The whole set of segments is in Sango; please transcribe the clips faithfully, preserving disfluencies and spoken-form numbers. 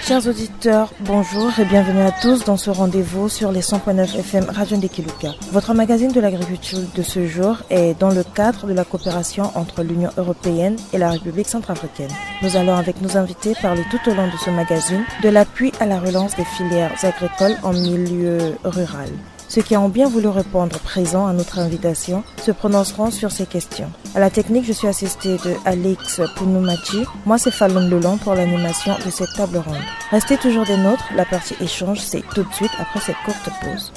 Chers auditeurs, bonjour et bienvenue à tous dans ce rendez-vous sur les cent point neuf F M Radio Ndekiluka. Votre magazine de l'agriculture de ce jour est dans le cadre de la coopération entre l'Union européenne et la République centrafricaine. Nous allons avec nos invités parler tout au long de ce magazine de l'appui à la relance des filières agricoles en milieu rural. Ceux qui ont bien voulu répondre présent à notre invitation se prononceront sur ces questions. À la technique, je suis assistée de Alex Pounoumati. Moi, c'est Falon Lelon pour l'animation de cette table ronde. Restez toujours des nôtres, la partie échange, c'est tout de suite après cette courte pause.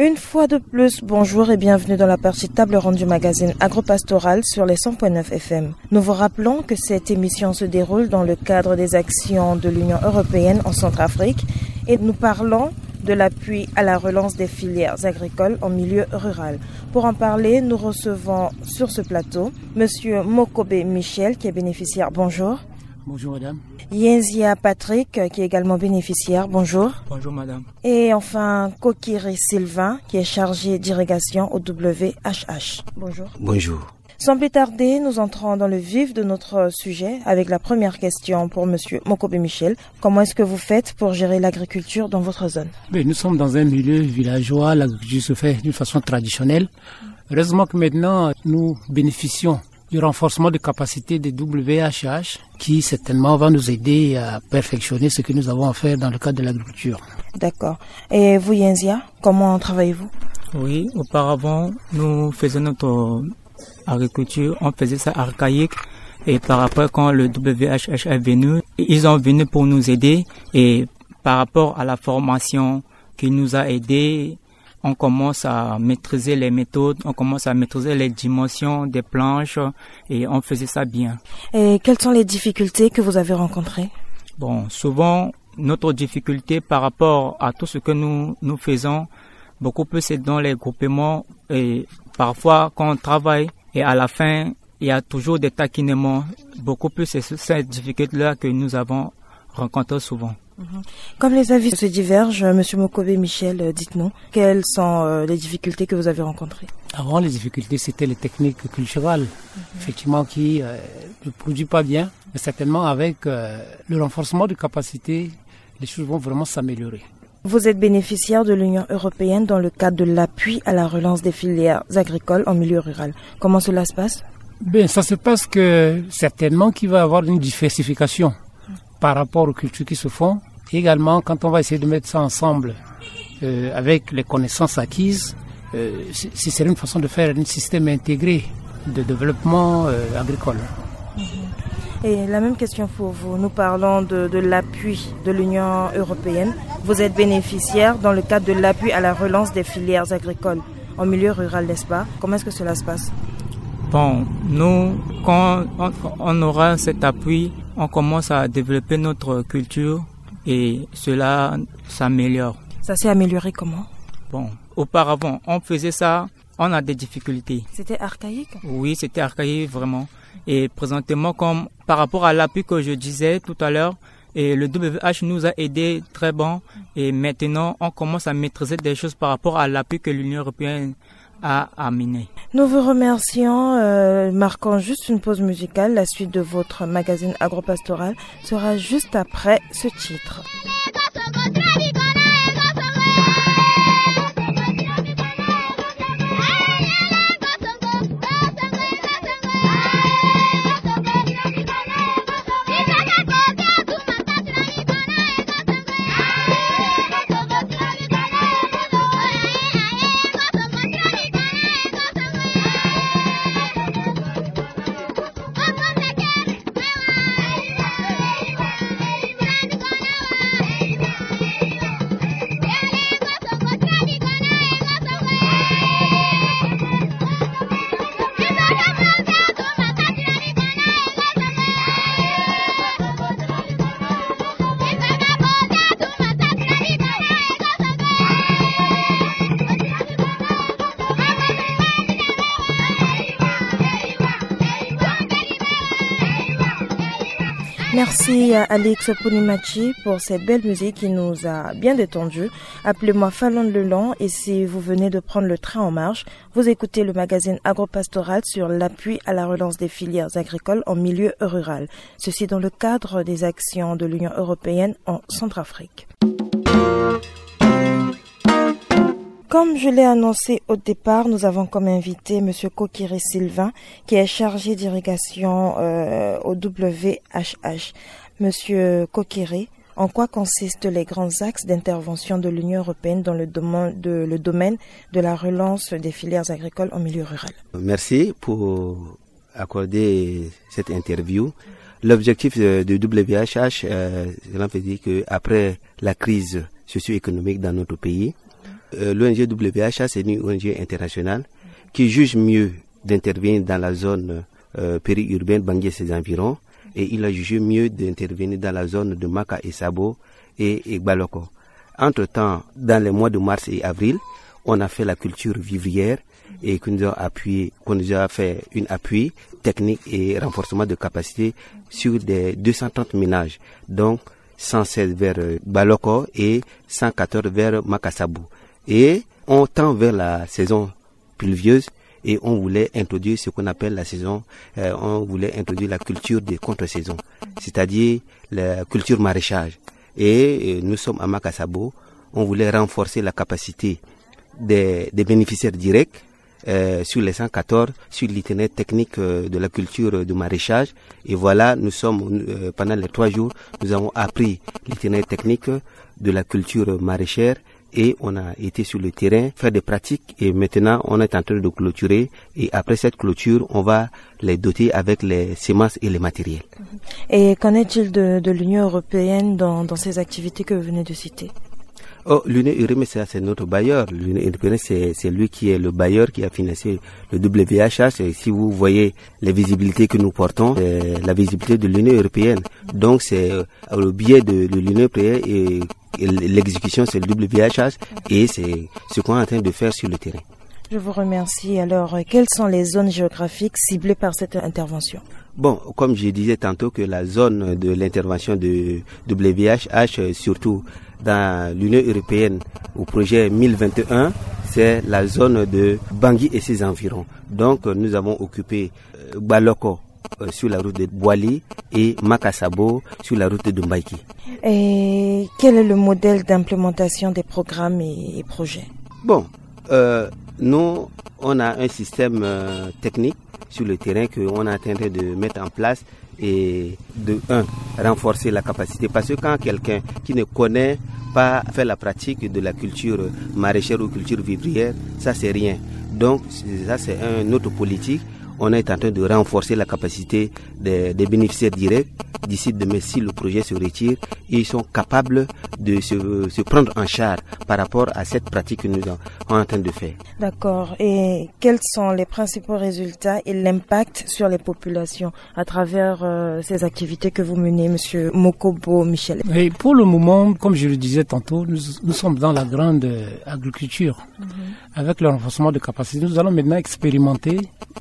Une fois de plus, bonjour et bienvenue dans la partie table ronde du magazine Agropastoral sur les cent point neuf F M. Nous vous rappelons que cette émission se déroule dans le cadre des actions de l'Union européenne en Centrafrique et nous parlons de l'appui à la relance des filières agricoles en milieu rural. Pour en parler, nous recevons sur ce plateau Monsieur Mokobe Michel, qui est bénéficiaire. Bonjour. Bonjour, madame. Yenzia Patrick, qui est également bénéficiaire. Bonjour. Bonjour, madame. Et enfin, Kokiri Sylvain, qui est chargé d'irrigation au W H H. Bonjour. Bonjour. Sans plus tarder, nous entrons dans le vif de notre sujet avec la première question pour Monsieur Mokobe Michel. Comment est-ce que vous faites pour gérer l'agriculture dans votre zone ? Mais nous sommes dans un milieu villageois, l'agriculture se fait d'une façon traditionnelle. Heureusement que maintenant, nous bénéficions du renforcement de capacités de W H H, qui certainement va nous aider à perfectionner ce que nous avons à faire dans le cadre de l'agriculture. D'accord. Et vous, Yenzia, comment travaillez-vous ? Oui, auparavant, nous faisions notre agriculture, on faisait ça archaïque. Et par après, quand le W H H est venu, ils ont venu pour nous aider. Et par rapport à la formation qui nous a aidés, on commence à maîtriser les méthodes, on commence à maîtriser les dimensions des planches et on faisait ça bien. Et quelles sont les difficultés que vous avez rencontrées ? Bon, souvent, notre difficulté par rapport à tout ce que nous, nous faisons, beaucoup plus c'est dans les groupements et parfois quand on travaille et à la fin, il y a toujours des taquinements. Beaucoup plus c'est cette difficulté-là que nous avons rencontrée souvent. Mhm. Comme les avis se divergent, Monsieur Mokobe Michel, euh, dites-nous, quelles sont, euh, les difficultés que vous avez rencontrées ? Avant, les difficultés, c'était les techniques culturales, effectivement, qui, euh, ne produit pas bien. Mais certainement, avec, euh, le renforcement de capacités, les choses vont vraiment s'améliorer. Vous êtes bénéficiaire de l'Union européenne dans le cadre de l'appui à la relance des filières agricoles en milieu rural. Comment cela se passe ? Ben, ça se passe que certainement qu'il va y avoir une diversification par rapport aux cultures qui se font. Également, quand on va essayer de mettre ça ensemble, euh, avec les connaissances acquises, euh, ce, ce serait une façon de faire un système intégré de développement, euh, agricole. Et la même question pour vous. Nous parlons de, de l'appui de l'Union européenne. Vous êtes bénéficiaire dans le cadre de l'appui à la relance des filières agricoles en milieu rural, n'est-ce pas ? Comment est-ce que cela se passe ? Bon, nous, quand on, on aura cet appui, on commence à développer notre culture et cela s'améliore. Ça s'est amélioré comment ? Bon, auparavant, on faisait ça, on a des difficultés. C'était archaïque ? Oui, c'était archaïque vraiment. Et présentement, comme par rapport à l'appui que je disais tout à l'heure, et le W H nous a aidé très bon. Et maintenant, on commence à maîtriser des choses par rapport à l'appui que l'Union européenne a amené. Nous vous remercions, euh, marquons juste une pause musicale. La suite de votre magazine agropastoral sera juste après ce titre. Merci à Alex Ponimachi pour cette belle musique qui nous a bien détendu. Appelez-moi Falonne Leland et si vous venez de prendre le train en marche, vous écoutez le magazine Agropastoral sur l'appui à la relance des filières agricoles en milieu rural. Ceci dans le cadre des actions de l'Union européenne en Centrafrique. Comme je l'ai annoncé au départ, nous avons comme invité monsieur Kokiri Sylvain, qui est chargé d'irrigation, euh, au W H H. Monsieur Kokiri, en quoi consistent les grands axes d'intervention de l'Union européenne dans le domaine de, le domaine de la relance des filières agricoles en milieu rural ? Merci pour accorder cette interview. L'objectif de, de W H H, euh, cela veut dire que après la crise socio-économique dans notre pays, euh, l'O N G W H H, c'est une O N G internationale qui juge mieux d'intervenir dans la zone, euh, périurbaine, Bangui et ses environs, et il a jugé mieux d'intervenir dans la zone de Maka et Sabo et, et Gbaloko. Entre-temps, dans les mois de mars et avril, on a fait la culture vivrière et que nous avons appuyé, qu'on nous a fait une appui technique et renforcement de capacité sur des deux cent trente ménages. Donc, cent seize vers, euh, Gbaloko et cent quatorze vers Maka Sabo. Et on tend vers la saison pluvieuse et on voulait introduire ce qu'on appelle la saison, euh, on voulait introduire la culture de contre-saison, c'est-à-dire la culture maraîchage. Et, euh, nous sommes à Maka Sabo, on voulait renforcer la capacité des, des bénéficiaires directs, euh, sur les cent quatorze, sur l'itinéraire technique, euh, de la culture de maraîchage. Et voilà, nous sommes, euh, pendant les trois jours, nous avons appris l'itinéraire technique de la culture maraîchère et on a été sur le terrain faire des pratiques et maintenant on est en train de clôturer et après cette clôture, on va les doter avec les semences et les matériels. Et qu'en est-il de, de l'Union européenne dans, dans ces activités que vous venez de citer ? Oh, l'Union européenne, c'est, c'est notre bailleur. L'Union européenne, c'est, c'est lui qui est le bailleur qui a financé le W H H. Et si vous voyez les visibilités que nous portons, c'est la visibilité de l'Union européenne. Donc, c'est, euh, le biais de, de l'Union européenne et, et l'exécution, c'est le W H H et c'est ce qu'on est en train de faire sur le terrain. Je vous remercie. Alors, euh, quelles sont les zones géographiques ciblées par cette intervention ? Bon, comme je disais tantôt que la zone de l'intervention de W H H, euh, surtout dans l'Union européenne au projet mille vingt et un, c'est la zone de Bangui et ses environs. Donc, euh, nous avons occupé, euh, Gbaloko, euh, sur la route de Boali et Maka Sabo sur la route de Mbaïki. Et quel est le modèle d'implémentation des programmes et, et projets ? Bon, euh, nous, on a un système, euh, technique sur le terrain qu'on est en train de mettre en place et de un, renforcer la capacité. Parce que quand quelqu'un qui ne connaît pas fait la pratique de la culture maraîchère ou culture vivrière, ça c'est rien. Donc, c'est, ça c'est une autre politique. On est en train de renforcer la capacité des, des bénéficiaires directs. D'ici demain, si le projet se retire, ils sont capables de se, se prendre en charge par rapport à cette pratique que nous sommes en train de faire. D'accord. Et quels sont les principaux résultats et l'impact sur les populations à travers, euh, ces activités que vous menez, monsieur Mokobo Michel ? Et pour le moment, comme je le disais tantôt, nous, nous sommes dans la grande, euh, agriculture. Mhm. Avec le renforcement de capacités, nous allons maintenant expérimenter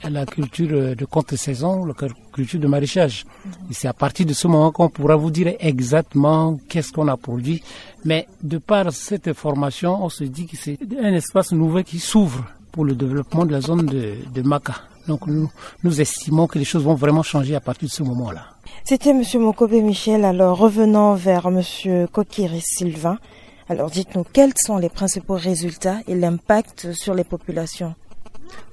la culture, euh, de contre-saison, la culture de maraîchage. Mhm. Et c'est à partir de ce moment qu'on pourra vous dire exactement qu'est-ce qu'on a produit. Mais de par cette formation, on se dit que c'est un espace nouveau qui s'ouvre pour le développement de la zone de, de Maka. Donc nous, nous estimons que les choses vont vraiment changer à partir de ce moment-là. C'était monsieur Mokobe Michel. Alors revenons vers monsieur Kokiri Sylvain. Alors dites-nous, quels sont les principaux résultats et l'impact sur les populations ?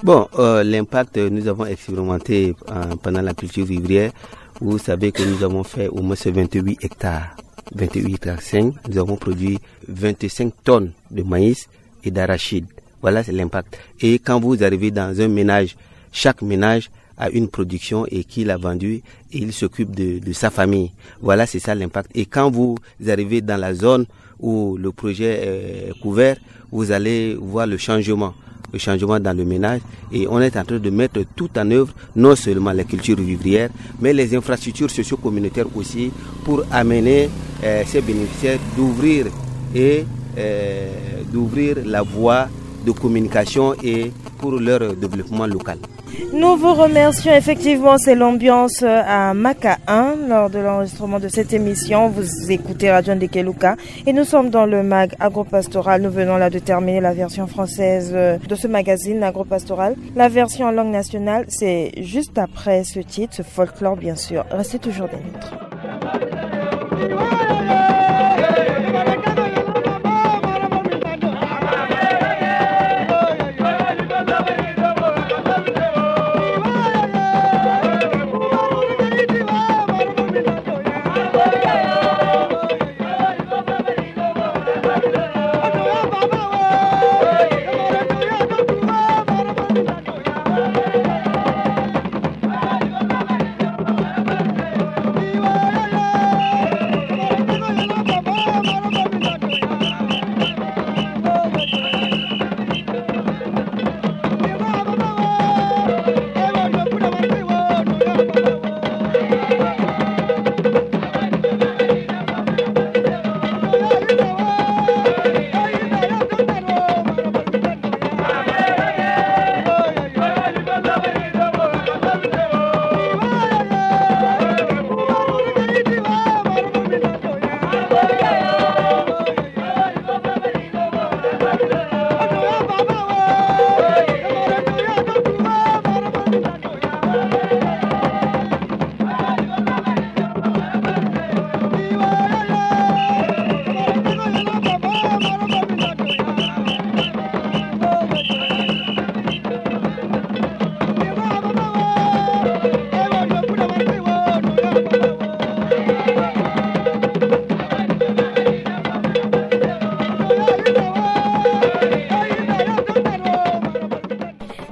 Bon, euh, l'impact, euh, nous avons expérimenté, euh, pendant la culture vivrière. Vous savez que nous avons fait au moins vingt-huit hectares, vingt-huit hectares cinq. Nous avons produit vingt-cinq tonnes de maïs et d'arachides. Voilà, c'est l'impact. Et quand vous arrivez dans un ménage, chaque ménage a une production et qu'il a vendu et il s'occupe de, de sa famille. Voilà, c'est ça l'impact. Et quand vous arrivez dans la zone où le projet est couvert, vous allez voir le changement, le changement dans le ménage. Et on est en train de mettre tout en œuvre, non seulement les cultures vivrières, mais les infrastructures socio-communautaires aussi, pour amener, euh, ces bénéficiaires d'ouvrir et, euh, d'ouvrir la voie de communication et pour leur développement local. Nous vous remercions. Effectivement, c'est l'ambiance, euh, à Maka un lors de l'enregistrement de cette émission. Vous écoutez Radio Ndekeluka et nous sommes dans le mag agropastoral. Nous venons là de terminer la version française, euh, de ce magazine agropastoral. La version en langue nationale, c'est juste après ce titre, ce folklore bien sûr. Restez toujours des nôtres.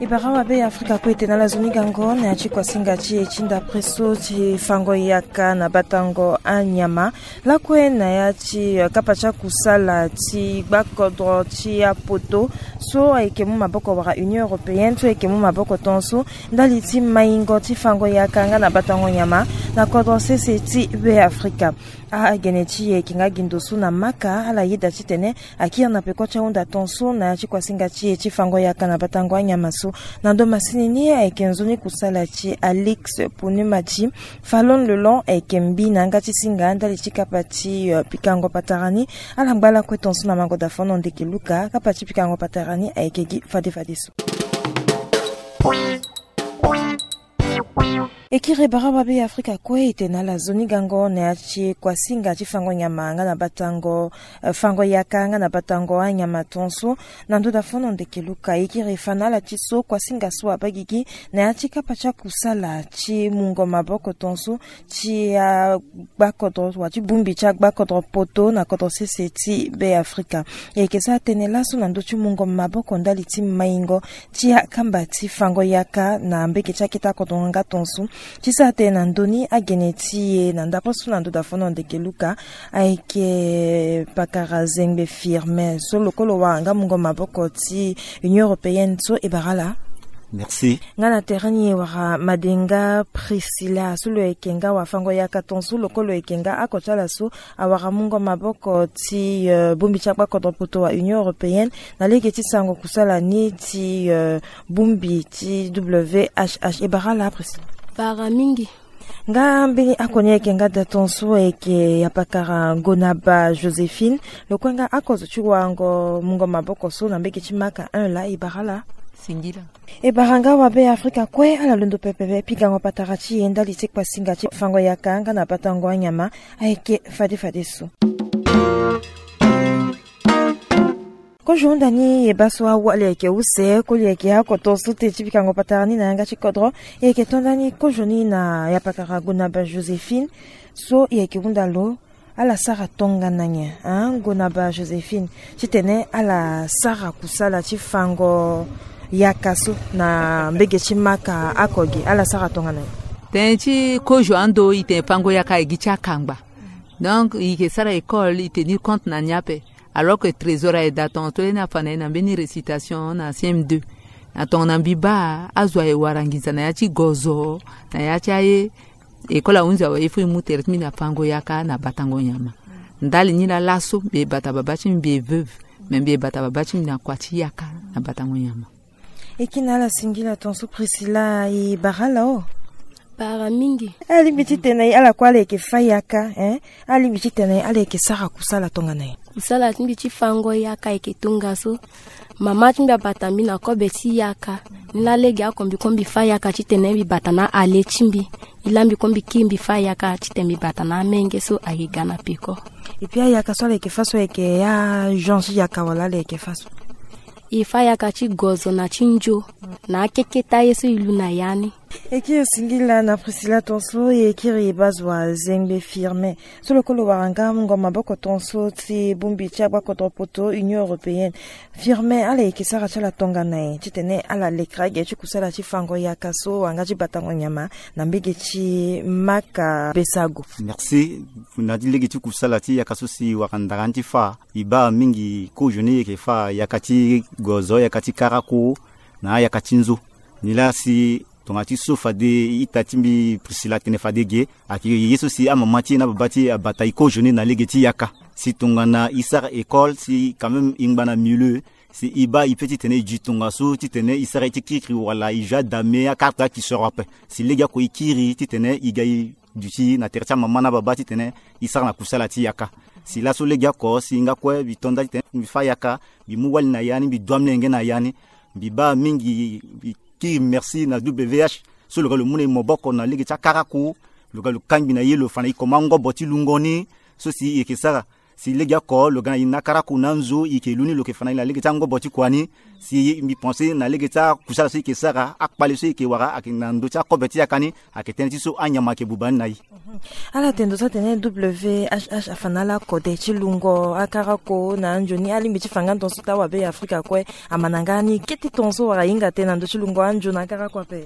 E bara wa be Afrika kue e tene ala zo ni gango na ya ti kuasinga ti e ti ndapre so ti fango yaka na batango anyama. Lakue na ya ti, eh, kapa ti akusala ti gbakodro ti apoto so ayeke mu maboko wala Union Européenne so ayeke mu maboko tongaso ndali ti maingo ti fango yaka nga na batango nyama na kodro sese ti Be Afrika. Agene ti e ayeke nga gi ndo so na Maka, ala yeda titene akiri na peko ti ahunda tongaso na ya ti kuasinga ti e ti fango yaka na batango anyama so. Na ndo masini ni ayeke nzoni kusala ti Alix Ponumati. Falon Lelon ayeke mbi na yanga ti singa ndali ti kapa ti, eh, pikango patara ni. Ala ngba lakue tongaso na mango dafono ndeke luka kapa ti pikango patara ni ayeke gi fade fade so. E kiri e bara wa be Afrika kue e tene ala zo ni gango na ya ti kuasinga ti fango nyama nga na batango, eh, fango yaka nga na batango anyama tongaso. Na ndo dafono ndeke luka e kiri e fa na ala ti so kuasinga so abaa gigi na ya ti kapa ti akusala ti mungo maboko tongaso ti agbakodro wala ti bongbi ti agbakodro poto na kodro sese ti Be Afrika. E yeke sara tënë laso na ndö ti mungo maboko ndali ti maingo ti akamba ti fango yaka na mbege ti akete akodro nga tongaso. Ti sara tënë na ndö ni agene ti e na ndapre so na ndo dafono ndeke luka ayeke pakara Zengbe Firmin so lokolo wara nga mungo maboko ti Union Européenne so e bara ala. Merci. Nga na tere ni e wara Madenga Priscilla so lo yeke nga wafango yaka tongaso lokolo yeke nga oko ti ala so awara mungo maboko ti, eh, bongbi ti agbakodro poto wa Union Européenne na lege ti sango kusala ni ti, eh, bongbi ti W H H. E bara ala Priscilla. Bara mingi. Nga mbeni oko ni ayeke nga da tongaso ayeke yapakara Gonaba Joséphine. Lo kue nga oko zo ti warango mungo maboko so na mbege ti Maka un laa. E bara ala. Singila. E bara nga wa be Afrika kue ala londo pepe pikango patara ti e ndali ti kpasinga ti fango yaka nga na batango anyama ayeke fade fade so. Kozo hunda ni e baa so awali ayeke use koli ayeke oko tongaso te ti pikango patara ni na yanga ti kodro. E yeke to ndani kozo ni na yapakara Gonaba Joséphine so e yeke hunda lo. Ala sara tongana nyen, hein, Gonaba Joséphine, titene ala sara kusala ti fango yaka so na mbege ti Maka oko gi, ala sara tongana nyen? Tënë ti kozo ando e tene fango yaka e gi ti akangba. Donc e yeke sara école e tenir compte na ni ape. Alors que trésor aye da tongaso ni afa na e na mbeni récitation na C M deux. Na tongana mbi baa azo aye wara nginza na ya ti gozo, na ya ti aye. École ahunzi awe il faut e mu tere ti mbi na fango yaka na batango nyama. Ndali ni laa laso mbi e bata babâ ti mbi, mbi e veuve, mais mbi e bata babâ ti mbi na kua ti yaka na batango nyama. E kiri na ala singila tongaso Priscilla, e bara ala o. Bara mingi. Alingbi titene ala kue ala yeke fa yaka, eh? Alingbi titene ala yeke sara kusala tongana nyen? Kusala ti mbi ti fango yaka ayeke tongaso. Mama ti mbi abata mbi na kobe ti yaka. Ni laa lege oko mbi kue mbi fa yaka titene mbi bata na ale ti mbi. E laa mbi kue mbi kiri mbi fa yaka titene mbi bata na amenge so ayeke ga na peko. Epui ayaka so ala yeke fa so ayeke agenre ti yaka wala ala yeke fa so? E fa yaka ti gozo na ti nzo na akeketa ye so e lu na ya ni. E kiri singila na Priscilla tongaso, e kiri e baa zo wa Zengbe Firmin. So lo kue lo wara nga mungo maboko tongaso ti bongbi ti agbakodro poto Union Européenne. Firmin, ala yeke sara ti ala tongana nyen titene ala lekere age ti kusala ti fango yaka so wala nga ti batango nyama na mbege ti Maka Besago? Merci. Na ti lege ti kusala ti yaka so si e wara ndara ni ti fa, e baa mingi kozo ni e yeke fa yaka ti gozo, yaka ti karako na ayaka ti nzo. Ni laa si tongana ti so fade ita ti mbi Priscilla atene fade ge, ayeke ye so si amama ti e na ababa ti e abata e kozo ni na lege ti yaka. Si tongana e sara école, si quand même e ngba na milieu, si e baa e peut titene e dui tongaso titene e sara ye ti kirikiri wala e jeu adame, akarte akisoro ape. Si lege oko e kiri titene e ga e duti na tere ti amama na ababa titene e sara na kusala ti yaka. Si laso lege oko si nga kue mbi to nda titene mbi fa yaka, mbi mu wali na ya ni, mbi dua molenge na ya ni. Mbi baa mingi, mbi kiri merci na W H so lo ga lo mu na e maboko na lege ti akarako. Lo ga lo kangbi na ye, lo fa na e koma ngobo ti lungo ni so si e yeke sara. Si lege oko lo ga na e na akarako na anzo, e yeke lu ni, lo yeke fa na e na lege ti angobo ti kua ni. Si mbi pense na lege ti akusala so e yeke sara, akpale so e yeke wara, ayeke na ndö ti akobe ti yaka ni, ayeke tënë ti so anyama ayeke buba ni na e. Ala tene ndo so atene W H H afa na ala kode ti lungo akarako na anzoni, alingbi ti fa nga ndo so ti awabe ya Afrika kue. Amana nga ni kete tongaso wala e hinga tënë na ndö ti lungo anzo na akarako ape.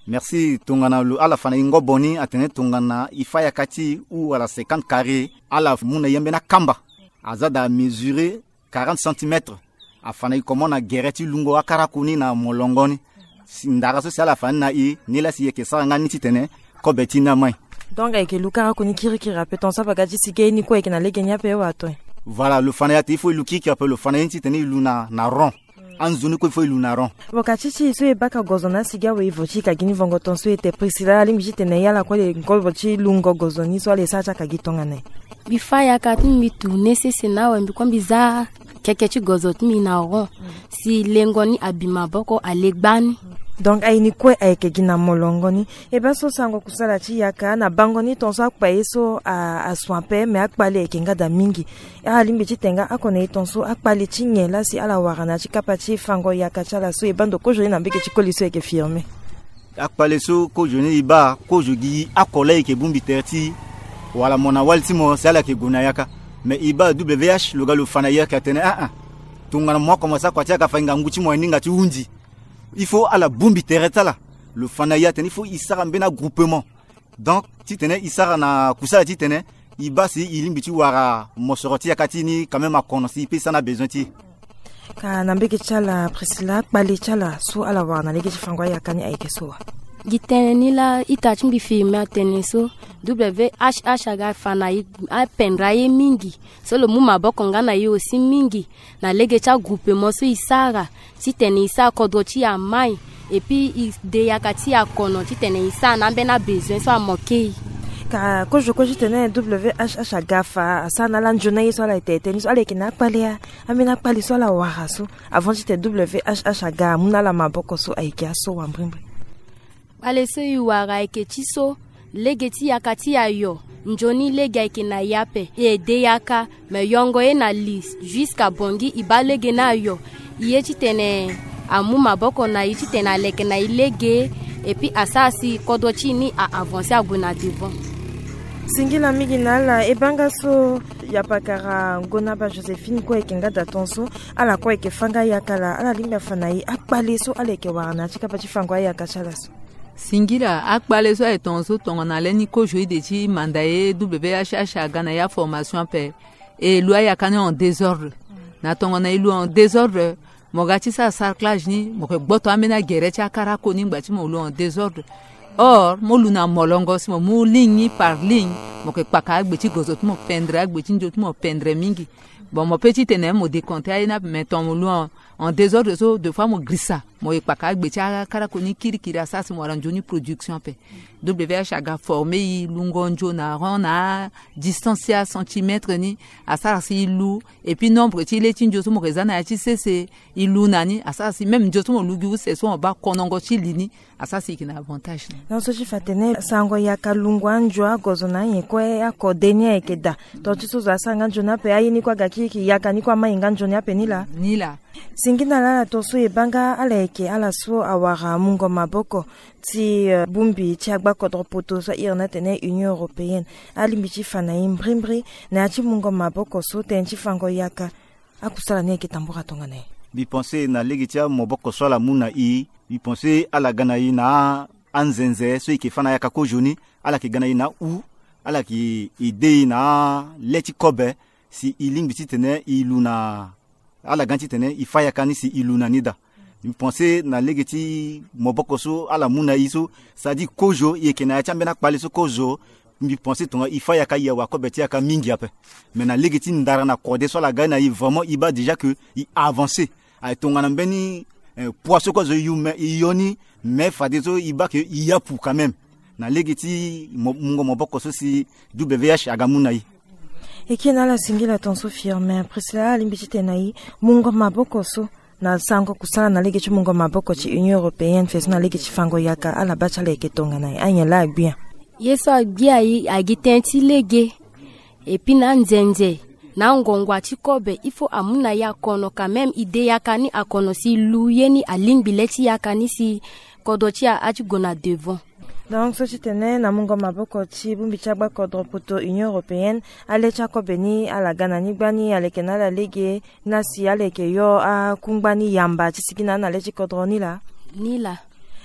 Merci. Tongana lo ala fa na e ngobo ni atene tongana e fa yaka ti e wala cinquante carré, ala mu na e ambeni akamba aza daa mesurer quarante centimètres. Afa na e komo na gere ti lungo akarako ni na molongo ni. Si ndara so si ala fa ni na e, ni laa si e yeke sara nga ni titene kobe ti e ni amai. Donc ayeke lu karako ni kirikiri ape, tongaso apaga ti si ge ni kue ayeke na lege ni ape wala ato? Voilà, lo fa na e ate il faut e lu kirikiri ape, lo fa na e ni titene e lu na, na rond. Anzoni kue il faut e lu na rond. Bon, ka ti ti e so e baka gozo na asi gi awe, e vo ti e ka gi ni vongo tongaso, e te Priscilla, alingbi titene e ala kue le ngobo ti lungo gozo ni so ala e sara ti aka gi tongana nyen? Mbi fa yaka ti mbi tourner sese na awe, mbi kue mbi za keke ti gozo ti mbi na rond. Si lengo ni abi maboko, ale gbani. Donc aye ni kue ayeke gi na molongo ni. E baa so sango kusala ti yaka na bango ni tongaso akpa ye so a, asu ape, me akpale ayeke nga daa mingi. Alingbi titene nga oko na e tongaso akpale ti nyen laa si ala wara na ya ti kapa ti fango yaka ti ala so, e baa ndo kozo ni na mbege ti koli so ayeke Firmin. Akpale so kozo ni e baa, kozo gi oko laa e yeke bongbi tere ti e wala mo na wali ti mo si ala yeke gue na yaka. Me e baa W H lo ga lo fa na e ayeke atene aa, tongana mo akomanse akua ti yaka, fa e ngangu ti mo aninga ti hunzi. Il faut ala bongbi tere ti ala. Lo fa na e atene il faut e sara mbeni agroupement. Donc titene e sara na kusala titene e baa si e lingbi ti wara mosoro ti yaka ti e ni quand même akono si e peut e sara na besoin ti e. Ka na mbege ti ala Priscilla, akpale ti ala so ala wara na lege ti fango ayaka ni ayeke so wa? Gi tënë ni laa ita ti mbi Firmin atene so, W H H aga fa na e, apendre aye mingi. So lo mu maboko nga na e aussi mingi na lege ti agroupement so e sara titene e sara kodro ti e amai, et puis e de yaka ti e akono titene e sara na ambeni abesoin so amoke e. Ka kozo kue titene W H H aga fa asara na ala nzoni aye so ala ete ete ni so, ala yeke na akpale ya, ambeni akpale so ala wara so avant titene W H H aga amu na ala maboko so ayeke aso wa mbrimbri? Kpale so e wara ayeke ti so lege ti yaka ti e ayo, nzoni lege ayeke na e ape. E de yaka, me yongo ye na li, jusqu'à Bangui e baa lege ni ayo. E ye titene amu maboko na e titene aleke na e lege, et puis asara si kodro ti e ni a avancer, ague na devant. Singila mingi na ala. E baa nga so yapakara Ngonaba Joséphine kue ayeke nga daa tongaso, ala kue ayeke fâ nga yaka laa, ala lingbi afa na e akpale so ala yeke wara na ya ti kapa ti fango ayaka ti ala so. Singila, akpale so aye tongaso tongana lani kozo ide ti manda ye W H H aga na ya formation ape. E lu ayaka ni en désordre. Na tongana e lu en désordre, mo ga ti sara sarclage ni, mo yeke gboto ambeni agere ti akarako ni ngba ti mo lu en désordre. Or mo lu na molongo si mo mu ligne par ligne, mo yeke kpaka agbe ti gozo ti mo pendre, agbe ti nzo ti mo pendre mingi. Bon, mo peut titene mo décompter aye ni ape, mais tongana mo lu en, en désordre so, deux fois mo girisa. Mo ye kpaka agbe ti akarako ni kirikiri, asara si mo wara nzoni production ape. W H aga forme i lungo nzo na rond na adistance ti acentimetre ni, asara si i lu. Et puis nombre ti le ti nzo so mo ke za na ya ti sese, i lu na ni, asara si même nzo so mo lu gi use so mo baa konongo ti li ni, asara si i yeke na avantage na. Donc so ti fa tene sango yaka lungo anzo agozo na anyen kue akode ni ayeke daa. Tonga ti so zo asara nga nzoni ape, aye ni kue aga kiri yaka ni kue amai nga nzoni ape ni laa. Ni laa. Singi na ala ala tonso e baa nga ala yeke ala so awara mungo maboko ti, eh, bongbi ti agbakodro poto so a iri ni atene Union Européenne. Alingbi ti fa na e mbrimbri na ya ti mungo maboko so tënë ti fango yaka. Akusala ni ayeke tambura tongana nyen? Mbi pense na lege ti amaboko so ala mu na e, mbi pense ala ga na e na anzenze so e yeke fa na yaka kozo ni, ala yeke ga na e na u, ala yeke ede e na le ti kobe si e lingbi titene e lu na, ala ga ni titene e fa yaka ni si e lu na ni daa. Mbi pense na lege ti maboko so ala mu na e so, c'est-à-dire kozo e yeke na ya ti ambeni akpale so kozo, mbi pense tonga e fa yaka e awa kobe ti yaka mingi ape. Mais na lege ti ndara na kode so ala ga na e, vraiment e baa déjà que e avancer. Aye tongana mbeni, eh, poids so kue zo e yu, mais e yo ni, mais fadeso e baa que e yapu quand même. Na lege ti mo-, mungo maboko so si W H aga mu na e. E kiri na ala singila tonso Firmin Priscilla, alingbi titene na e mungo maboko so na sango kusala na lege ti mungo maboko ti Union Européenne, fadeso na lege ti fango yaka, ala baa ti ala yeke tongana nyen? Anyen laa agbia? Ye so agbia e agi tënë ti lege. Et puis na nzenze, na ngongua ti kobe, il faut amu na e akono quand même, e de yaka ni akono si e lu ye ni, alingbi le ti yaka ni si kodro ti e ati gue na devant. Donc so ti tene na mungo maboko ti bongbi ti agbakodro poto Union Européenne, ale ti akobe ni ala ga na ni gbani, ala yeke na ala lege na si ala yeke yo akungba ni yamba ti sigi na ala na le ti kodro ni laa? Ni laa.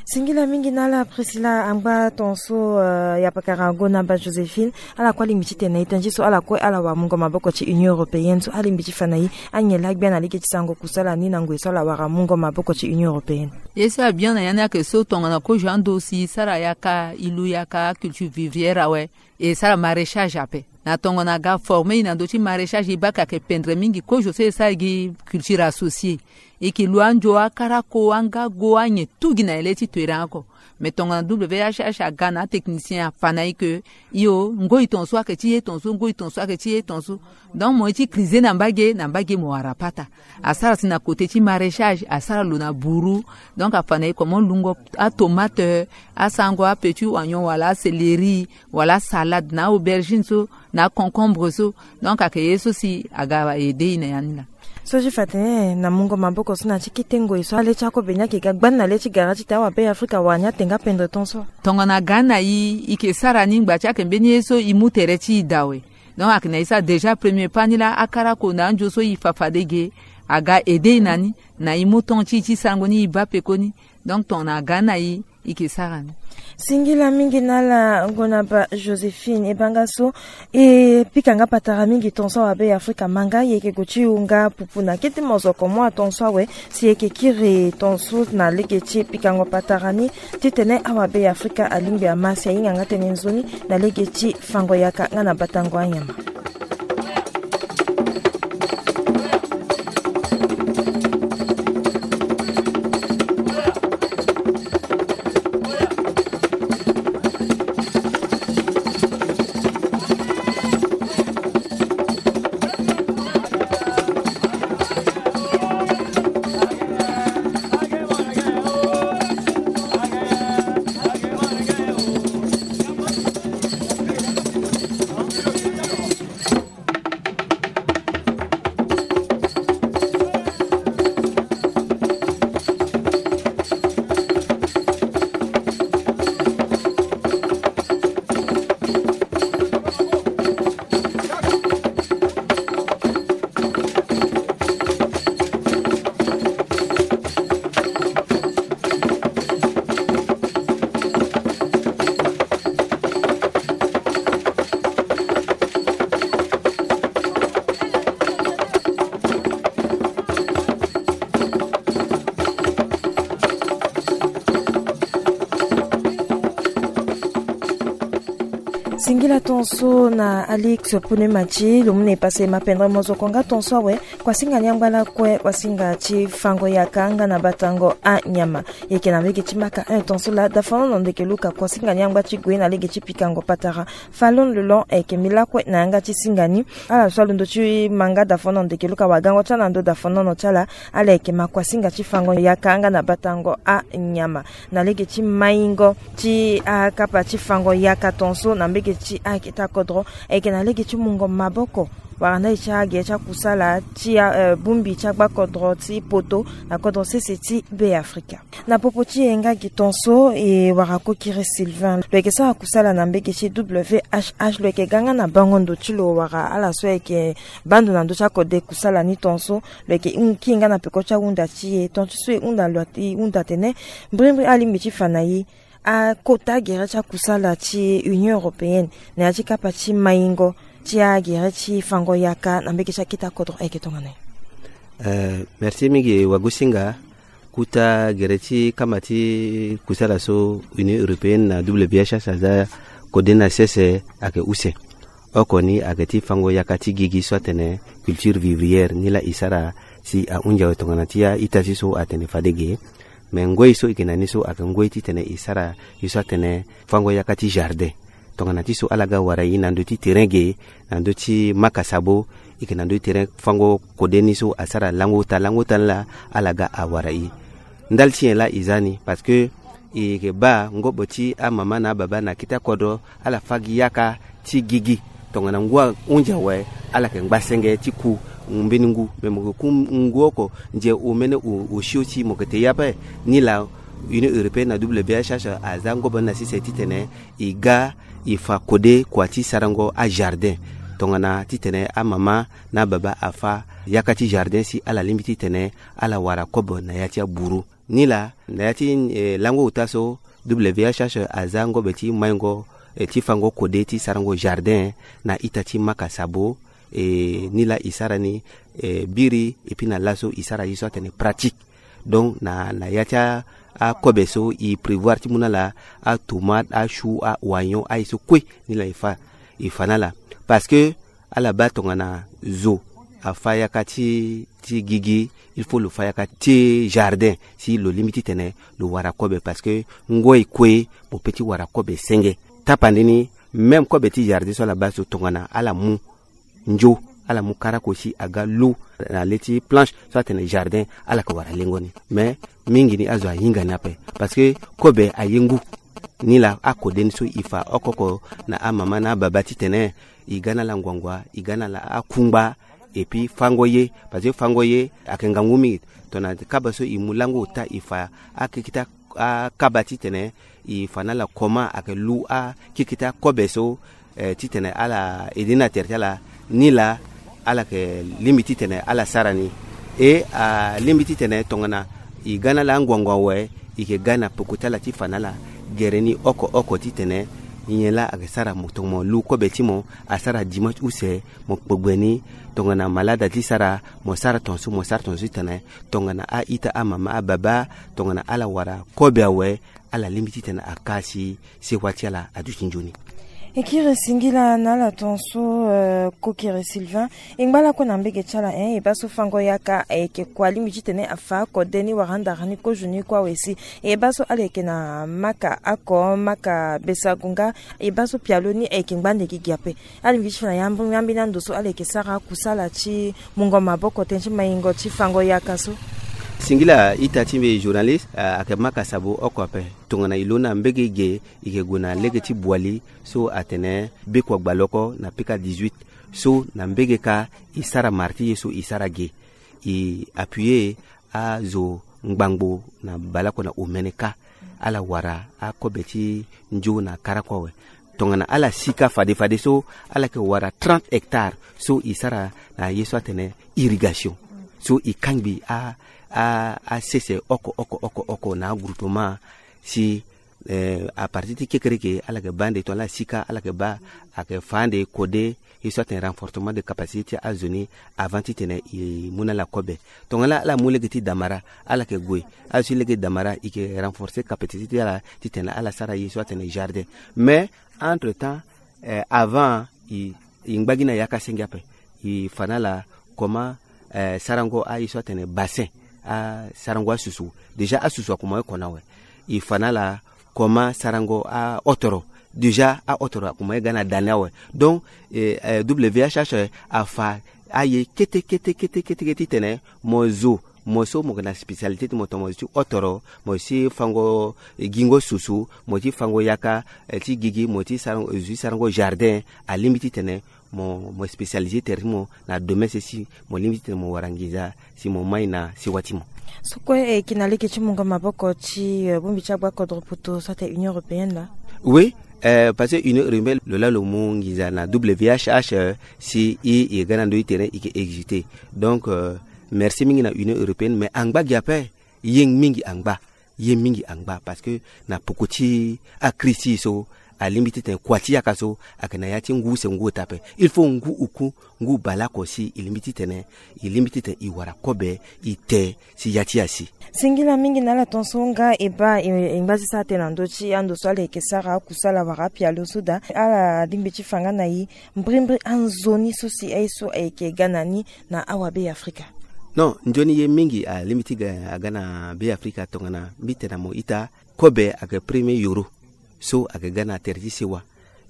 Singila mingi na ala Priscilla, angba tonso, eh, yapakara Gonaba Joséphine, ala kue alingbi titene na e tënë ti so ala kue ala wara mungo maboko ti Union Européenne so, alingbi ti fa na e anyen laa agbia na lege ti sango kusala ni na ngoi so ala wara mungo maboko ti Union Européenne? Ye so abian na ya ni ayeke so tongana kozo ando si e sara yaka, e lu yaka culture vivrière awe, e sara maraîchage ape. Na tongana aga forme e na ndö ti maraîchage, e baa ka ayeke pendre mingi kozo so e sara gi culture associée. E yeke lu anzo, akarako, angago, anyen tu gi na e le ti toiran oko. Mais tongana W H H aga na atechnicien afa na e ke, io, ngoi tonso ayeke ti ye tonso, ngoi tonso ayeke ti ye tonso. Donc mo ye ti crise na mbage, na mbage mo wara pata. Asara si na côté ti maraîchage, asara lo na buru. Donc afa na e comment lungo atomate, asango apetit oignon wala acéleri, wala salade na aubergine so, na concombre so. Donc ayeke ye so si aga aide e na ya ni laa. So ti fa tene na mungo maboko so na ti kete ngoi so ale ti akobe ni ayeke ga gbani na le ti gara titene awabe Afrika awara ni ate nga pendre ton so. Tongana aga na e, e yeke sara ni ngba ti ayeke mbeni ye so e mu tere ti e daa awe. Donc ayeke na e sara déjà premier pas ni laa, akarako na anzo so e fa fade ge, aga aide e na ni, na e mu temps ti e ti sango ni e baa pekoni. Donc tongana aga na e, e yeke sara ni. Singila mingi na ala Gonaba Joséphine, e baa nga so e pika nga patara mingi ton so awabe Afrika ma nga e yeke gue ti hunga pupu na kete mozoko mua ton so awe, si e yeke kiri ton so na lege ti pikango patara ni, titene awabe Afrika alingbi ama si ahinga nga tënë nzoni na lege ti fango yaka nga na batango anyama. Singila tonso na Alix Pune Mati, lo mu na e pase mapendre mozoko nga tonso awe, kuasinga ni angba lakue, kuasinga ti fango yaka nga na batango anyama. Eke na lege ti maka un tonso la, dafono na ndeke luka, kuasinga ni angba ti gue na lege ti pikango patara. Falon lelon eke mi lakue na yanga ti singa ni. Ala so alondo ti manga dafono na ndeke luka wagango ti ala na ndo dafono na ti ala, ala eke ma kuasinga ti fango yaka nga na batango anyama. Na lege ti maingo ti akapa ti fango yaka tonso na mbege ti akita kodro, eke na lege ti mungo maboko wala ndali ti agere ti akusala ti, eh, bongbi ti agba kodro ti poto na kodro sese ti Be Afrika. Na popo ti e nga gi tonso e wara Kokiri Sylvain, lo yeke sara kusala na mbege ti W H H, lo yeke ga nga na bango ndo ti lo wara ala so ayeke baa ndo na ndö ti akode kusala ni tonso. Lo yeke hon-, kiri nga na peko ti ahunda ti e, tonga ti so e hunda lo, e hunda atene mbrimbri alingbi ti fa na e akota gere ti akusala ti Union Européenne na ya ti kapa ti maingo ti agere ti fango yaka na mbege ti akita kodro, ayeke tongana nyen? Eh, merci mingi wagosinga. Kota gere ti kama ti kusala so Union Européenne na W H H aza kode na sese ayeke use. Oko ni ayeke ti fango yaka ti gigi so atene culture vivrière, ni laa e sara si ahunzi awe tongana ti a-ita ti so atene fade ge. Me ngoi so e yeke na ni so ayeke ngoi titene e sara ye so atene fango yaka ti jardin. Tongana ti so ala ga wara e na ndö ti terrain ge, na ndö ti maka sabo, e yeke na ndö ti terrain fango kode ni so asara lango ota, lango ota ni laa ala ga awara e. Ndali ti nyen laa e za ni? Parce que e yeke baa ngobo ti amama na ababa na akita kodro, ala fa gi yaka ti gigi. Tongana ngu ahunzi awe, ala yeke ngba senge ti ku mbeni ngu. Me mo yeke ku ngu oko, nze omene o, osio ti mo yeke te ye ape. Ni laa Union Européenne na W H H aza ngobo ni na sese titene e ga e fa kode kua ti sarango ajardin. Tongana titene amama na ababa afa yaka ti jardin si ala lingbi titene ala wara kobe na ya ti aburu. Ni laa na ya ti, eh, lango ota so W H H aza ngobe ti maingo, eh, ti fango kode ti sarango jardin na ita ti maka sabo. Eh, ni laa e sara ni, eh, biri, et puis na laso e sara ye so atene pratique. Donc na, na ya ti a, akobe so e prévoir ti mu na ala atomate, achou, aoignon, aye so kue ni laa e fa, e fa na ala. Parce que ala baa tongana zo afa yaka ti, ti gigi, il faut lo fa yaka ti jardin si lo lingbi titene lo wara kobe, parce que ngoi kue mo pe ti wara kobe senge. Tapande ni, même kobe ti jardin so ala baa so tongana ala mu nzo, ala mu karako si aga lu na le ti planche so atene jardin, ala yeke wara lengo ni. Mais mingi ni azo ahinga ni ape, parce que kobe aye ngu. Ni laa akode ni so e fa oko oko na amama na ababa titene e ga na ala nguangua, e ga na ala akungba, et puis fango ye, parce que fango ye ayeke ngangu mingi. Tongana kaba so e mu lango ota e fa akekita akaba titene e fa na ala comment ayeke lu akekita kobe so, eh, titene ala aidé na tere ti ala, ni laa ala yeke lingbi titene ala sara ni. E alingbi titene tongana e ga na ala anguangu awe, e yeke ga na peko ti ala ti fa na ala gere ni oko oko titene nyen laa ayeke sara mo, tongana mo lu kobe ti mo asara dimanche use, mo kpegbe ni. Tongana malade ti sara, mo sara tongaso, mo sara tongaso titene tongana a-ita, amama, ababa, tongana ala wara kobe awe, ala lingbi titene aka si sewa ti ala aduti nzoni. E kiri singila na ala tongaso, eh, Kokiri Sylvain. E ngba lakue na mbege ti ala, eh, e baa so fango yaka ayeke kua lingbi titene afa akode ni wala andara ni kozo ni kue awe si. E baa so ala yeke na maka oko, maka besagu nga, e baa so pialo ni ayeke ngba ande gigi ape. Alingbi ti fa na yambu, yambi na ndo so ala yeke sara akusala ti mungo maboko tënë ti maingo ti fango yaka so. Singila ita ti mbi journaliste, ah, ayeke maka sabo oko ape. Tongana e lo na mbege ge, e yeke gue na lege ti Boali so atene Bekua Gbaloko na P K dix-huit. So na mbege kâ e sara mara ti ye so e sara ge. E appuyer azo ngbangbo na baleoko na omene kâ. Ala wara akobe ti nzo na karako awe. Tongana ala si kâ fade fade so, ala yeke wara trente hectares so e sara na ye so atene irrigation. So e kangbi a, a, asese oko oko oko oko na agroupement si, eh, à partir ti kekereke ala yeke baa ande, tongana ala si kâ ala yeke baa, ayeke fa ande kode ye so atene renforcement de capacité ti azo ni avant titene e mu na ala kobe. Tongana ala mu lege ti damara, ala yeke gue. Azo ti lege ti damara, e yeke renforcer capacité ti ala titene ala sara ye so atene jardin. Mais entre temps, eh, avant i, i ngba gi na yaka senge ape. I fa na ala comment, eh, sarango aye so atene bassin, asarango asusu. Déjà asusu akoma ye kona awe. I fa na ala comment sarango ahotoro. Déjà ahotoro akoma ye ga na dani awe. Donc, eh, eh, W H H afa aye kete kete kete kete kete titene mo zo, mo so mo yeke na spécialité ti mo, tongana mo zo ti hotoro, mo zo ti fango, eh, gingo susu, mo zo ti fango yaka, eh, ti gigi, mo zo ti sarango, zo ti sarango jardin. Alingbi titene mo, mo spécialisé tere ti mo na domaine sese, si mo lingbi titene mo wara nginza si mo mai na sewa ti mo. So kue e yeke na lege ti mungo maboko ti, eh, bongbi ti agba kodro poto so atene Union européenne laa? Oui, eh, parce que Union européenne lo laa lo mu nginza na W H H, eh, si i, i ga na ndö ti tere i yeke exécuté. Donc, eh, merci mingi na Union européenne, mais angba gi ape, ye mingi angba. Ye mingi angba parce que na poko ti akri ti e so, alingbi titene kua ti yaka so ayeke na ya ti ngu use ngu ota ape. Il faut ngu oku, ngu baleoko si e lingbi titene, e lingbi titene e wara kobe, e te si ya ti asi. Singila mingi na ala tongaso nga e baa e, e ngba ti sara tënë na ndö ti ando so ala yeke sara akusala wala apialo so daa. Ala lingbi ti fa nga na e mbrimbri anzoni so si aye so ayeke ga na ni na awabe ya Afrika. Non, nzoni ye mingi alingbi ti ga, aga na be ya Afrika tongana mbi tene na mo ita, kobe ayeke premier yoro so ayeke ga na tere ti sewa.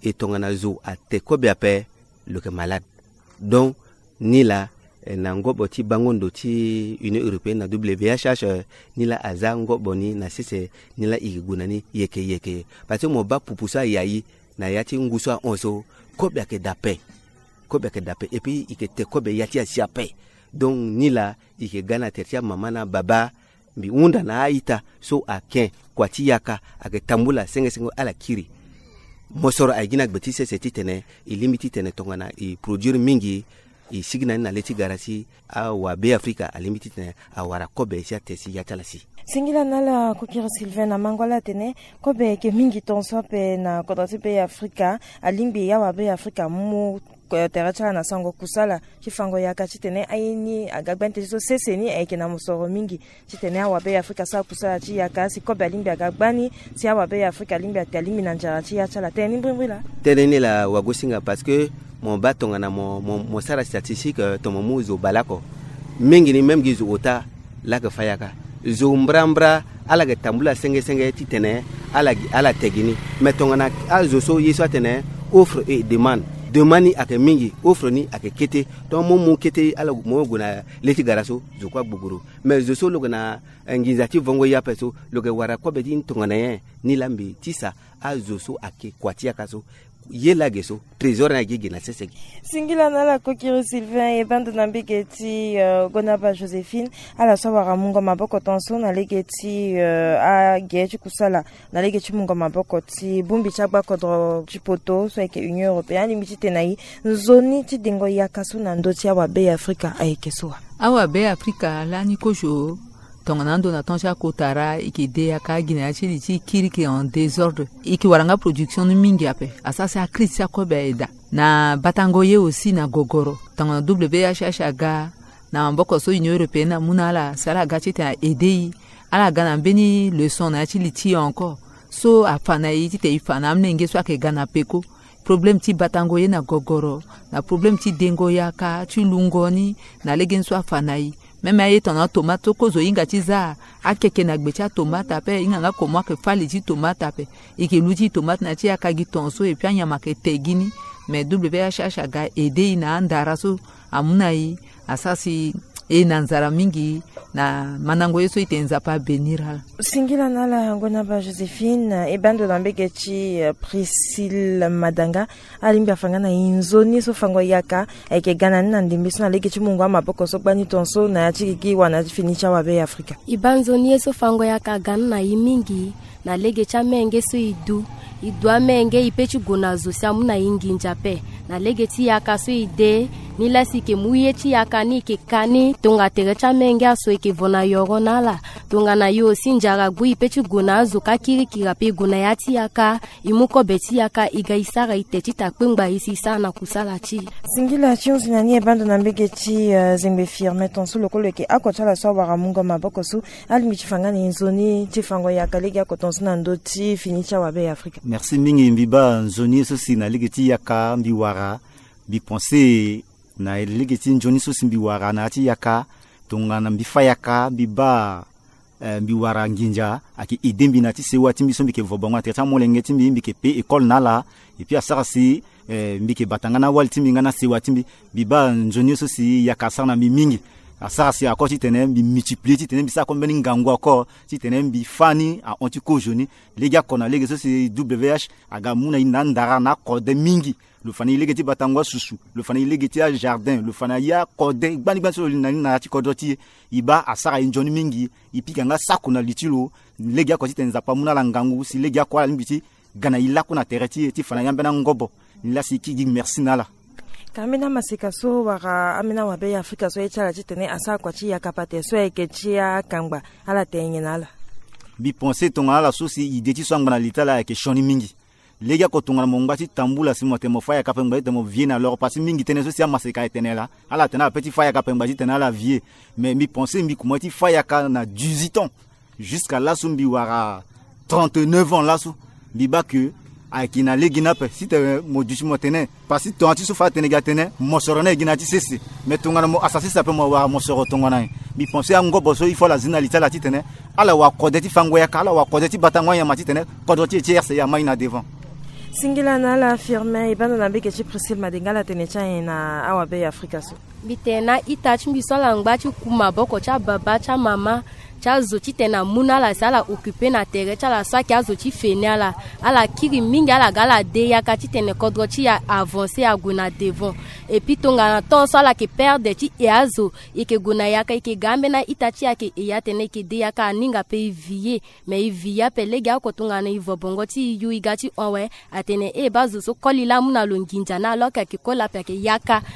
E tongana zo ate kobe ape, lo yeke malade. Donc, ni laa, eh, na ngobo ti bango ndo ti Union européenne na W H H, eh, ni laa aza ngobo ni na sese, ni laa e yeke gue na ni yeke yeke. Parce que mo baa pupu so aya e na ya ti ngu so ahon so, kobe ayeke da ape. Kobe ayeke da ape. Et puis e yeke te kobe ya ti asi ape. Donc ni laa e yeke ga na tere ti amama na ababa. Mbi hunda na a-ita so ake kua ti yaka, ayeke tambula senge senge ala kiri. Mosoro aye gi na gbe ti sese titene e lingbi titene tongana e produire mingi, e sigi na ni na le ti gara si awabe Afrika alingbi titene awara kobe si ate si ya ti ala si. Singila na ala kokiri Sylvain, na mango ala atene kobe ayeke mingi tongaso ape na kodro ti be ya Afrika. Alingbi awabe ya Afrika amu, eh, tere ti ala na sango kusala ti fango yaka titene aye ni aga gbani teti so sese ni ayeke na mosoro mingi titene awabe ya Afrika asara kusala ti yaka si kobe alingbi aga gbani, si awabe ya Afrika alingbi ate alingbi na nzara ti ya ti ala. Tënë ni mbrimbri laa. Tënë ni laa wagosinga parce que mo baa tongana mo, mo, mo sara statistique, eh, tongana mo mu zo baleoko, mingi ni même gi zo ota laa ayeke fa yaka. Zo mbrambra ala yeke tambula senge senge titene ala, ala te gi ni. Mais tongana azo so ye so atene offre et demande, demande ni ayeke mingi, offre ni ayeke kete. Tongana mo mu kete ala, mo gue na le ti gara so, zo kue agbogoro. Mais zo so lo yeke na, eh, nginza ti vongo ye ape so, lo yeke wara kobe ti ni tongana nyen? Ni laa mbi tisa azo so ake kua ti yaka so, ye laa ge so, trésor ni agi gi na sese gi. Singila na ala kokiri Sylvain, e baa ndo na mbege ti, eh, Gonaba Joséphine, ala so awara mungo maboko tongaso na lege ti, eh, age ti kusala na lege ti mungo maboko ti bongbi ti agba kodro ti poto so ayeke Union européenne. Alingbi titene na e nzoni ti dengo yaka so na ndö ti awabe ya Afrika ayeke so wa? Awabe ya Afrika lani kozo, tongana ando na temps ti akotara, e yeke de yaka gi na ya ti li ti kiri, e yeke en désordre. E yeke wara nga production ni mingi ape. Asara si akri ti akobe aye daa. Na batango ye aussi na gogoro. Tongana W H H aga na maboko so Union européenne amu na ala si ala ga titene a aidé e, ala ga na mbeni leçon na ya ti li ti e encore. So afa na e titene e fa na amolenge so ayeke ga na peko. Problème ti batango ye na gogoro, na problème ti dengo yaka, ti lungo ni, na legeni so afa na e. Même aye tongana tomate so kozo e hinga ti za, akeke na gbe ti atomate ape, e hinga nga comment ayeke fâ li ti tomate ape. E yeke lu ti tomate na ya ti yaka gi tongaso, et puis anyama ayeke te gi ni. Mais W H H aga aidé e na andara so amu na e, asara si e na nzara mingi na mandango ye so e tene Nzapa abénir ala. Singila na ala Gonaba Joséphine, e baa ndo na mbege ti, eh, Priscille Madanga. Alingbi afa nga na e nzoni so fango yaka ayeke ga na ni na ndembe so na lege ti mungo amaboko so gbani tongaso na ya ti gigi wala na ya ti fini ti awabe ya Afrika. E baa nzoni ye so fango yaka aga ni na e mingi na lege ti amenge so e du. E du amenge, e pe ti gue na zo si amu na e nginza ape. Na lege ti yaka so e de, Ni lasi e ke mu ye ti yaka ni e ke ka ni tonga tere ti amenge aso e ke vo na yoro na ala. Tongana yo si nzara gbu e pe ti gue na azo ka kirikiri ape e gue na ya ti yaka. E mu kobe ti yaka e ga e sara e te ti ta kpengba e si e sara na kusala ti e. Singila ti hunzi na ni e bando na mbege ti, eh, zengbe Firmin, ton so lo kue lo yeke oko ti ala so awara mungo maboko so. Alingbi ti fa nga na e nzoni ti fango yaka legeoko ton so na ndö ti fini ti awabe ya Afrika. Merci mingi. Mbi baa nzoni ye so si na lege ti yaka mbi wara, mbi pense na lege ti nzoni so si mbi wara na ya ti yaka. Tongana mbi fa yaka mbi baa, eh, mbi wara nginza ayeke ede mbi na ya ti sewa ti mbi so mbi yeke vo bongo na tere ti amolenge ti mbi, mbi yeke pe école na ala. Et puis asara si, eh, mbi yeke bata nga na awali ti mbi nga na sewa ti mbi. Mbi baa nzoni ye so si yaka asara na mbi mingi. Asara si ako titene mbi multiplier titene mbi sara ako mbeni ngangu ako titene mbi fâ ni ahon ti kozo ni. Legeoko na lege so si W H aga mu na e na andara na akode mingi. Lo fa na e lege ti batango asusu, lo fa na e lege ti ajardin, lo fa na e akode gbani gbani so lo li na ni na ya ti kodro ti e. E baa asara e nzoni mingi. E pika nga sako na li ti lo. Legeoko titene Nzapa amu na ala ngangu si legeoko ala lingbi ti ga na e laku na tere ti e ti fa na e ambeni angobo. Ni lasi e kiri gi merci na ala. Ka ambeni amaseka so wala ambeni awabe ya Afrika so aye ti ala titene asara kua ti yaka pate so ayeke ti akangba, ala tene nyen na ala? Mbi pense tongana ala so si ide ti so angba na li ti ala ayeke sioni mingi. Legeoko tongana mo ngba ti tambula si mo tene mo fa yaka ape ngba titene mo vie na loro, parce que mingi tënë so si amaseka aye tene laa, ala tene ala pe ti fa yaka ape ngba titene ala vie. Mais mbi pense mbi kuma ti fa yaka na dix-huit ans. Jusqu'à laso mbi wara trente-neuf ans laso. Mbi baa ke ayeke na lege ni ape. Si tene mo duti mo tene, parce que tongana ti so fa atene gi atene mosoro ni ayeke gi na ya ti sese. Mais tongana mo asa sese ape mo wara mosoro tongana nyen? Mbi pense angobo so il faut ala zi na li ti ala titene ala wara kode ti fango yaka, ala wara kode ti batango anyama titene kodro ti e ti R C A amai na devant. Singila na ala Firmin. E bando na mbege ti Priscille Madinga, ala tene ti anyen na awabe ya Afrika so? Mbi tene na ita ti mbi so ala ngba ti ku maboko ti ababa ti amama ti azo titene amu na ala si ala occuper na tere ti ala so ayeke azo ti feni ala. Ala kiri mingi, ala ga ala de yaka titene kodro ti e avancer ague na devant. Et puis tongana temps so ala yeke perdre ti e azo, e yeke gue na yaka, e yeke ga ambeni a-ita ti e ayeke e ya tene e yeke de yaka aninga ape e vie. Mais e vie ape legeoko tongana e vo bongo ti e yu e ga ti hon awe. Atene e baa zo so koli laa amu na lo nginza ni alors que ayeke koli ape ayeke yaka.